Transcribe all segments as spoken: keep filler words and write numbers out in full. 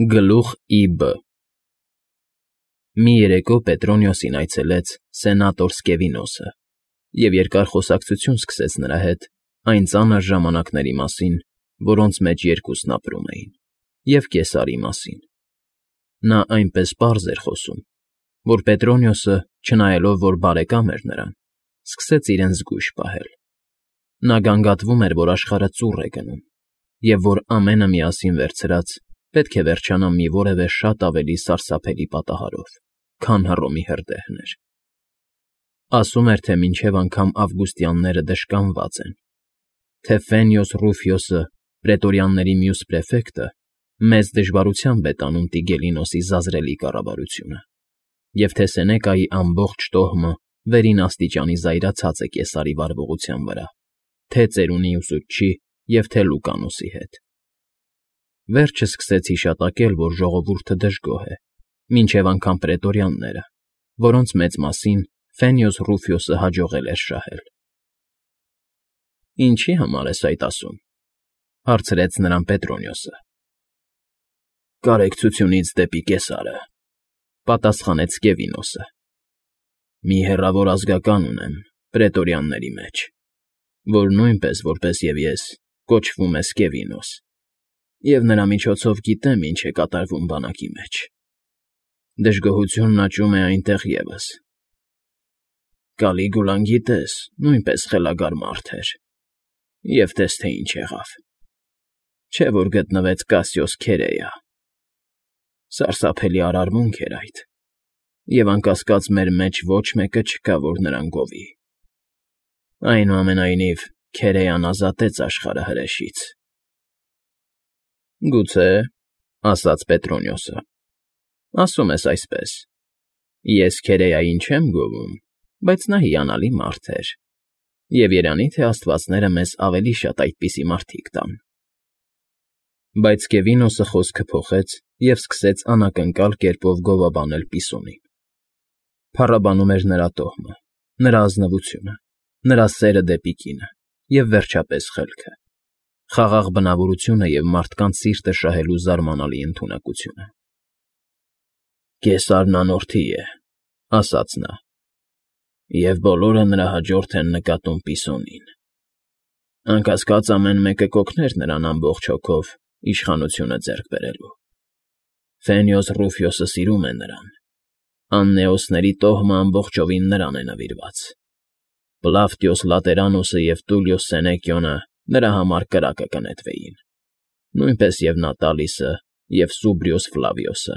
Գլուխ Ի Բ Մի երեկո Պետրոնիոսին այցելեց սենատոր Սկևինոսը և երկար խոսակցություն սկսեց նրա հետ այն ծանր ժամանակների մասին, որոնց մեջ երկուսն ապրում էին, և Կեսարի մասին. նա այնպես պարզ էր խոսում, որ Պետրոնիոսը, չնայելով որ բարեկամ էր նրան, սկսեց իրեն զգույշ պահել. նա գանգատվում էր, որ աշխարհը ծուռ է գնում, և որ ամենը միասին վերցրած պետք է վերջանա մի որևէ շատ ավելի սարսափելի պատահարով, քան Հռոմի հրդեհներ. ասում էր, թե մինչև անգամ ավգուստյանները դժկանված են, թե Ֆենյոս Ռուֆիոսը, պրետորյանների մյուս պրեֆեկտը, մեծ դժվարությամբ է տանում Տիգելինոսի զազրելի կառավարությունը, և թե Սենեկայի ամբողջ տոհմը վերին աստիճանի զայրացած է Կեսարի վարվողության վրա, թե ծերունի ուսուցչի և թե Լուկանոսի հետ. վերջը սկսեց հիշատակել, որ ժողովուրդը դժգոհ է, մինչև անգամ պրետորյանները, որոնց մեծ մասին Ֆենյոս Ռուֆիոսը հաջողել էր շահել։ ֊ Ինչի՞ համար ես այդ ասում,֊ հարցրեց նրան Պետրոնիոսը։ ֊ Կարեկցությունից դեպի Կեսարը,֊ պատասխանեց Սկևինոսը։ ֊ Մի հեռավոր ազգական ունեմ պրետորյանների մեջ, որ նույնպես, որպես և ես, կոչվում է Սկևինոս, և նրա միջոցով գիտեմ, ինչ է կատարվում բանակի մեջ. դժգոհությունն աճում է այնտեղ ևս։ Կալիգուլան, գիտես, նույնպես խելագար մարդ էր, և տես թե ինչ եղավ. չէ՞ որ գտնվեց Կասիոս Քերեյա. սարսափելի արարմունք էր այդ, և անկասկած մեր մեջ ոչ մեկը չկա, որ նրան գովի։ Այնուամենայնիվ, Քերեյան ազատեց աշխարհը հրեշից։ ֊ Գուցե,֊ ասաց Պետրոնիոսը,֊ ասում ես այսպես. ես Քերեյային չեմ գովում, բայց նա հիանալի մարդ էր, և երանի թե աստվածները մեզ ավելի շատ այդպիսի մարդիկ տան։ Բայց Սկևինոսը խոսքը փոխեց և սկսեց անակնկալ կերպով գովաբանել Պիսոնին. փառաբանում էր նրա տոհմը, նրա ազնվությունը, նրա սերը դեպի կինը և, վերջապես, խելքը, խաղաղ բնավորությունը և մարդկանց սիրտը շահելու զարմանալի ընդունակությունը։ ֊ Կեսարն անորդի է,֊ ասաց նա,֊ և բոլորը նրա հաջորդ են նկատում Պիսոնին։ Անկասկած, ամեն մեկը կօգներ նրան ամբողջ հոգով իշխանությունը ձեռք բերելու։ Ֆենյոս Ռուֆիոսը սիրում է նրան, աննեոսների տոհմը ամբողջովին նրան է նվիրված, Պլավտիոս Լատերանոսը և Տուլիոս Սենեկիոնը նրա համար կրակը կնետվեին, նույնպես և Նատալիսը, և Սուբրիոս Ֆլավիոսը,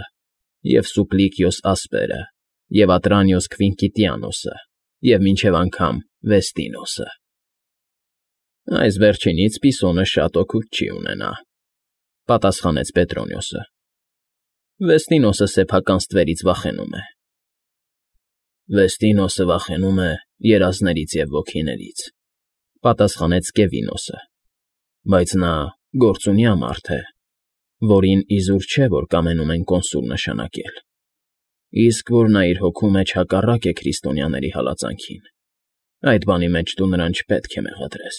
և Սուպլիկիոս Ասպերը, և Ատրանիոս Քվինկիտիանոսը, և մինչև անգամ Վեստինոսը։ Այս վերջինից Պիսոնը շատ օգուտ չի ունենա,֊ պատասխանեց Պետրոնիոսը։ Վեստինոսը սեփական ստվերից վախենում է։ Վեստինոսը վախենում է երազներից և ոգիներից,֊ պատասխանեց Սկևինոսը, բայց նա գործունյա մարդ է, որին իզուր չէ, որ կամենում են կոնսուլ նշանակել, իսկ որ նա իր հոգու մեջ հակառակ է քրիստոնյաների հալածանքին, այդ բանի մեջ դու նրան չպետք է մեղադրես,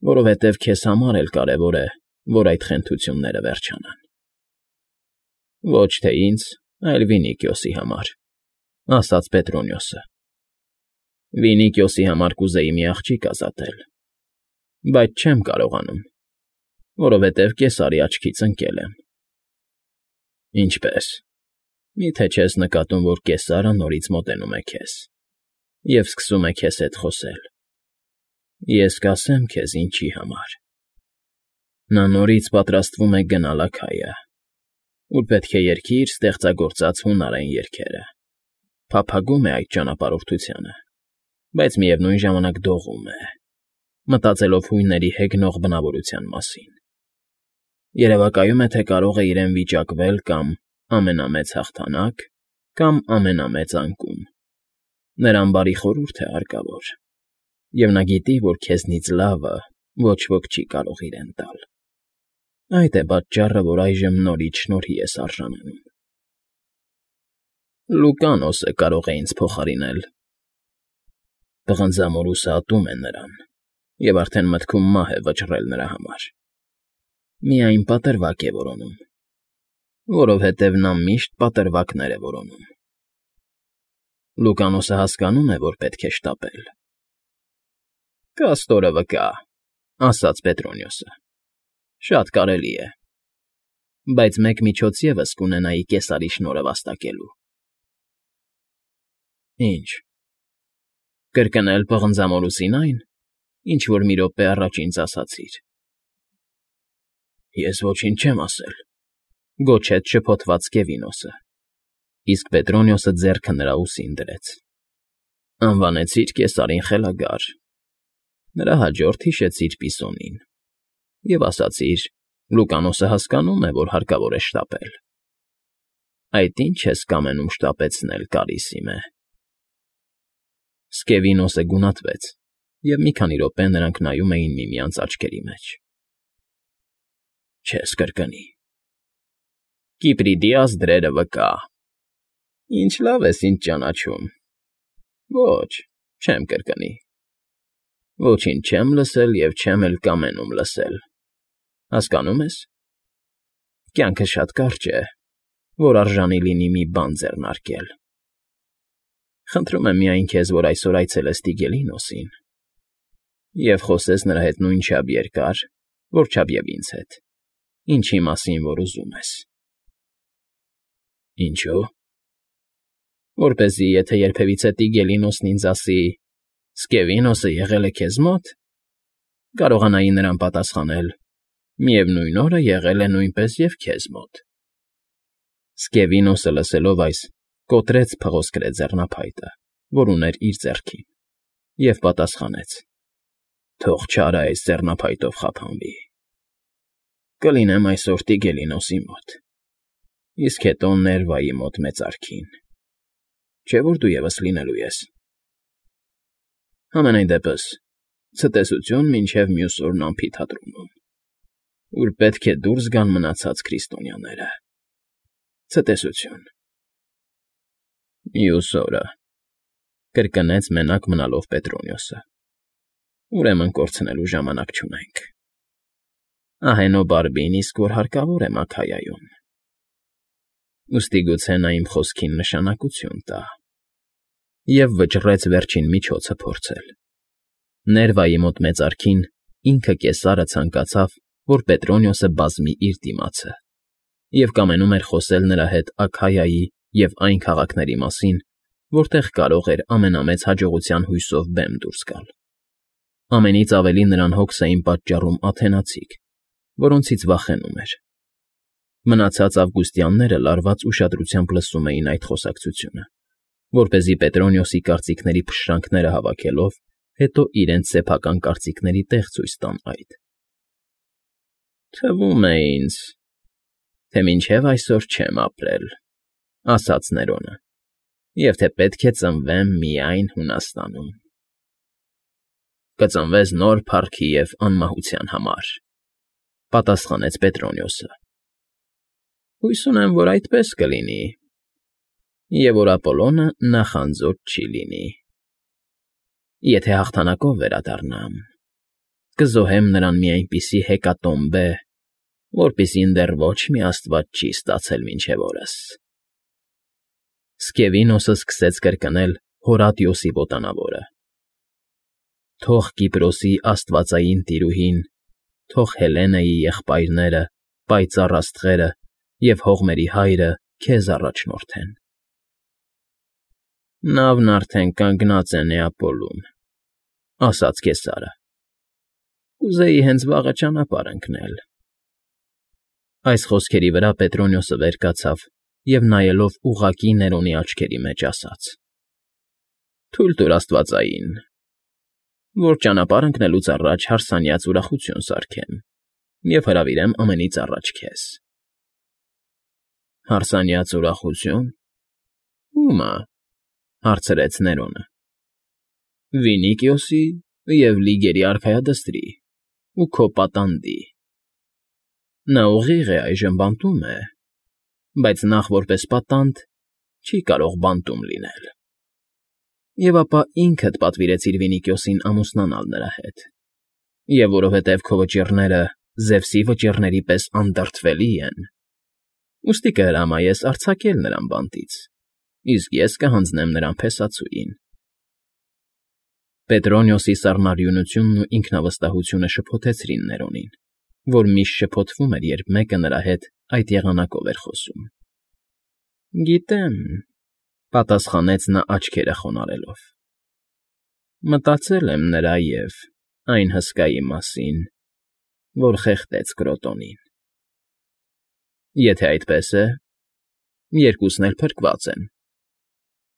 որովհետև քեզ համար էլ կարևոր է, որ այդ խենթությունները վերջանան։ ֊ Ոչ թե ինձ, այլ Վինիկիոսի համար,֊ ասաց Պետրոնիոսը։ Վինիկիոսի համար կուզեի մի աղջիկ ազատել, բայց չեմ կարողանում, որովհետև Կեսարի աչքից ընկել եմ։ ֊ Ինչպե՞ս, մի՞թե չես նկատում, որ Կեսարը նորից մոտենում է քեզ և սկսում է քեզ հետ խոսել։ Ես կասեմ քեզ ինչի համար. նա նորից պատրաստվում է գնալ Աքայա, ուր պետք է երգի իր ստեղծագործած հունարեն երգերը, փափագում է այդ ճանապարհորդությանը, բայց միևնույն ժամանակ դողում է, մտածելով հույների հեգնող բնավորության մասին։ Երևակայում է, թե կարող է իրեն վիճակվել կամ ամենամեծ հաղթանակ, կամ ամենամեծ անկում։ Նրան բարի խորհուրդ է հարկավոր, և նա գիտի, որ քեզնից լավը ոչ ոք չի կարող իրեն տալ։ Այդ է պատճառը, որ այժմ նորից շնորհի ես արժանանում։ Լուկանոսը կարող է ինձ փոխարինել։ Պղնձամորուսը ատում է նրան և արդեն մտքում մահ է վճռել նրա համար։ Միայն պատրվակ է որոնում։ Որովհետև նա միշտ պատրվակներ է որոնում։ Լուկանոսը հասկանում է, որ պետք է շտապել։ ֊ Կաստորը վկա,֊ ասաց Պետրոնիոսը,֊ շատ կարելի է, բայց մեկ միջոց ևս կունենայի կեսարի շնորհը վաստակելու։ ֊ Ի՞նչ, կրկնել պղնձամորուսին այն, ինչ որ մի րոպե առաջ ինձ ասացիր։ ֊ Ես ոչինչ չեմ ասել,֊ գոչեց շփոթված Կևինոսը, իսկ Պետրոնիոսը ձեռքը նրա ուսին դրեց։ ֊ Անվանեցիր կեսարին խելագար, նրա հաջորդ հիշեցիր Պիսոնին և ասացիր. Լուկանոսը հասկանում է, որ հարկավոր է շտապել։ Այդ ի՞նչ ես կամենում շտապեցնել, կարիսիմե։ Սկևինոսը գունատվեց, և մի քանի րոպե նրանք նայում էին միմյանց աչքերի մեջ։ ֊ Չես կրկնի։ ֊ Կիպրիդիաս դրերը վկա։ ֊ Ինչ լավ ես ինձ ճանաչում։ ֊ Ոչ, չեմ կրկնի։ ֊ Ոչինչ չեմ լսել և չեմ էլ կամենում լսել, հասկանու՞մ ես։ Կյանքը շատ կարճ է, որ արժանի լինի մի բան ձեռնարկել։ Խնդրում եմ միայն քեզ, որ այսօր այցելես Տիգելինոսին և խոսես նրա հետ նույնչափ երկար, որչափ և ինձ հետ, ինչի մասին որ ուզում ես։ ֊ Ինչո՞ւ։ ֊ Որպեսզի եթե երբևիցե Տիգելինոսն ինձ ասի. «Սկևինոսը եղել է քեզ մո՞տ», կարողանայի նրան պատասխանել. «Միևնույն օրը եղել է նույնպես և քեզ մոտ»։ Սկևինոսը լսելով այս, կոտրեց փղոսկրե ձեռնափայտը, որ ուներ իր ձեռքին, և պատասխանեց. «Թող չարը այս ձեռնափայտով խափանվի։ Կլինեմ այսօր Տիգելինոսի մոտ, իսկ հետո Ներվայի մոտ մեծարքին, չէ՞ որ դու ևս լինելու ես։ Համենայն դեպս, ցտեսություն մինչև մյուս օրն ամփիթատրոնում, ուր պետք է դուրս գան մնացած քրիստոնյաները։ Ցտեսություն»։ ֊ Մյուս օրը,֊ կրկնեց մենակ մնալով Պետրոնիոսը,֊ ուրեմն կորցնելու ժամանակ չունենք։ Ահենոբարբին իսկ որ հարկավոր է Մաքայայում։ Ուստի գուցե նա իմ խոսքին նշանակություն տա։ Եվ վճռեց վերջին միջոցը փորձել։ Ներվայի մոտ մեծարքին ինքը կեսարը ցանկացավ, որ Պետրոնիոսը բազմի իր դիմացը, և կամենում էր խոսել նրա հետ Աքայայի և այն քաղաքների մասին, որտեղ կարող էր ամենամեծ հաջողության հույսով բեմ դուրս գալ։ Ամենից ավելի նրան հոգս էին պատճառում աթենացիք, որոնցից վախենում էր։ Մնացած ավգուստյանները լարված ուշադրությամբ լսում էին այդ խոսակցությունը, որպեսզի Պետրոնիոսի կարծիքների փշրանքները հավաքելով, հետո իրենց սեփական կարծիքների տեղ ցույց տան այդ։ ֊ Թվում է ինձ, թե մինչև այսօր չեմ ապրել,֊ ասաց Ներոնը,֊ և թե պետք է ծնվեմ միայն Հունաստանում։ ֊ Կծնվես նոր փառքի և անմահության համար,֊ պատասխանեց Պետրոնիոսը։ ֊ Հույս ունեմ, որ այդպես կլինի, և որ Ապոլոնը նախանձոճ չի լինի։ Եթե հաղթանակով վերադառնամ, կզոհեմ նրան մի այնպիսի հեկատոմբե, որպիսին դեռ ոչ մի աստված չի ստացել մինչև օրս։ Սկևինոսը սկսեց կրկնել Հորատիոսի ոտանավորը. «Թող Կիպրոսի աստվածային տիրուհին, թող Հելենայի եղբայրները, պայծառ աստղերը և հողմերի հայրը քեզ առաջնորդեն»։ ֊ Նավն արդեն կանգնած է Նեապոլում,֊ ասաց կեսարը։ Կուզեի հենց վաղը ճանապարհ ընկնել։ Այս խոսքերի վրա Պետրոնիոսը վեր կացավ և նայելով ուղղակի Ներոնի աչքերի մեջ ասաց. «Թույլ տուր աստվածային, որ ճանապարհ ընկնելուց առաջ հարսանյաց ուրախություն սարքեմ և հրավիրեմ ամենից առաջ քեզ»։ ֊ Հարսանյաց ուրախությո՞ւն։ Ո՞ւմը,֊ հարցրեց Ներոնը։ ֊ Վինիկիոսի և Լիգերի արքայադստրի ու քո պատանդի։ Նա ուղիղ է այժմ բանտում է, բայց նախ որպես պատանդ չի կարող բանտում լինել։ Եվ ապա ինքդ պատվիրեցիր Վինիկիոսին ամուսնանալ նրա հետ, և որովհետև քո վճիռները Զևսի վճիռների պես անդրդվելի են, Ուստի կհրամայես արձակել նրան բանտից, իսկ ես կհանձնեմ նրան փեսացուին։ Պետրոնիոսի սառնարյունությունն ու ինքնավստահությունը շփոթեցրին Ներոնին, որ միշտ շփոթվում էր, երբ մեկը նրա հետ այդ եղանակով էր խոսում։ ֊ Գիտեմ,֊ պատասխանեց նա աչքերը խոնարհելով,֊ մտածել եմ նրա և այն հսկայի մասին, որ խեղդեց Կրոտոնին։ ֊ Եթե այդպես է, երկուսն էլ փրկված են,֊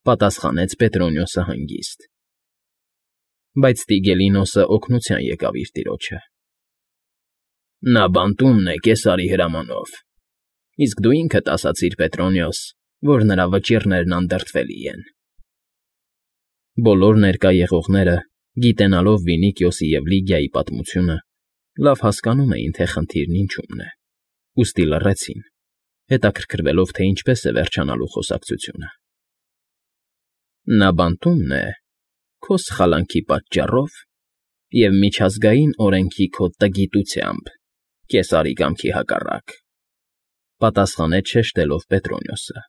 պատասխանեց Պետրոնիոսը հանգիստ։ Բայց Տիգելինոսը օգնության եկավ իր տիրոջը։ ֊ Նա բանտումն է կեսարի հրամանով, իսկ դու ինքդ ասացիր, Պետրոնիոս, որ նրա վճիռներն անդրդվելի են։ Բոլոր ներկա եղողները, գիտենալով Վինիքիոսի և Լիգիայի պատմությունը, լավ հասկանում էին, թե խնդիրն ինչումն է, ուստի լռեցին, հետաքրքրվելով, թե ինչպես է վերջանալու խոսակցությունը։ ֊ Նա բանտումն է քո սխալանքի պատճառով և միջազգային օրենքի քո տգիտությամբ, կեսարի կամքի հակառակ,֊ պատասխանեց շեշտելով Պետրոնիոսը։ ֊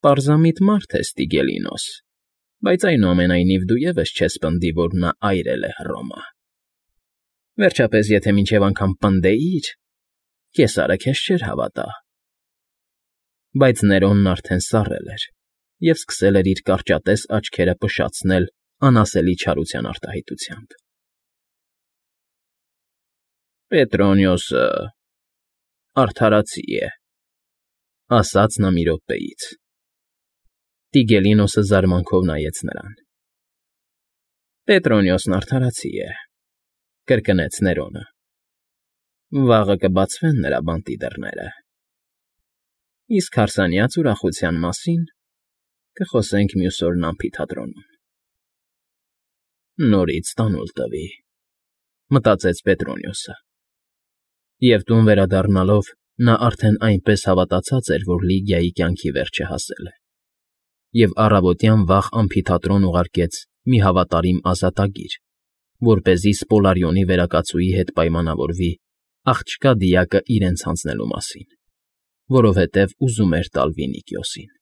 Պարզամիտ մարդ ես, Տիգելինոս, բայց այնուամենայնիվ դու ևս չես պնդի, որ նա այրել է Հռոմը։ Վերջապես, եթե մինչև անգամ պնդեիր, կեսարը քեզ չէր հավատա։ Բայց Ներոնն արդեն սառել էր և սկսել էր իր կարճատես աչքերը փշացնել անասելի չարության արտահայտությամբ։ ֊ Պետրոնիոսը արդարացի է,֊ ասաց նա մի րոպեից։ Տիգելինոսը զարմանքով նայեց նրան։ ֊ Պետրոնիոսն արդարացի է,֊ կրկնեց Ներոնը։ ֊ Վաղը կբացվեն նրա բանտի դռները, իսկ հարսանյաց ուրախության մասին կխոսենք մյուս օրն ամֆիթատրոնում։ Նորից տանուլ տվի,֊ մտածեց Պետրոնիոսը։ Եվ տուն վերադառնալով նա արդեն այնպես հավատացած էր, որ Լիգիայի կյանքի վերջը հասել է, և առավոտյան վաղ ամֆիթատրոն ուղարկեց մի հավատարիմ ազատագիր, որպեսզի Սպոլարիոնի վերակացուի հետ պայմանավորվի աղջկա դիակը իրենց հանձնելու մասին, որովհետև ուզում էր տալ Վինիքիոսին։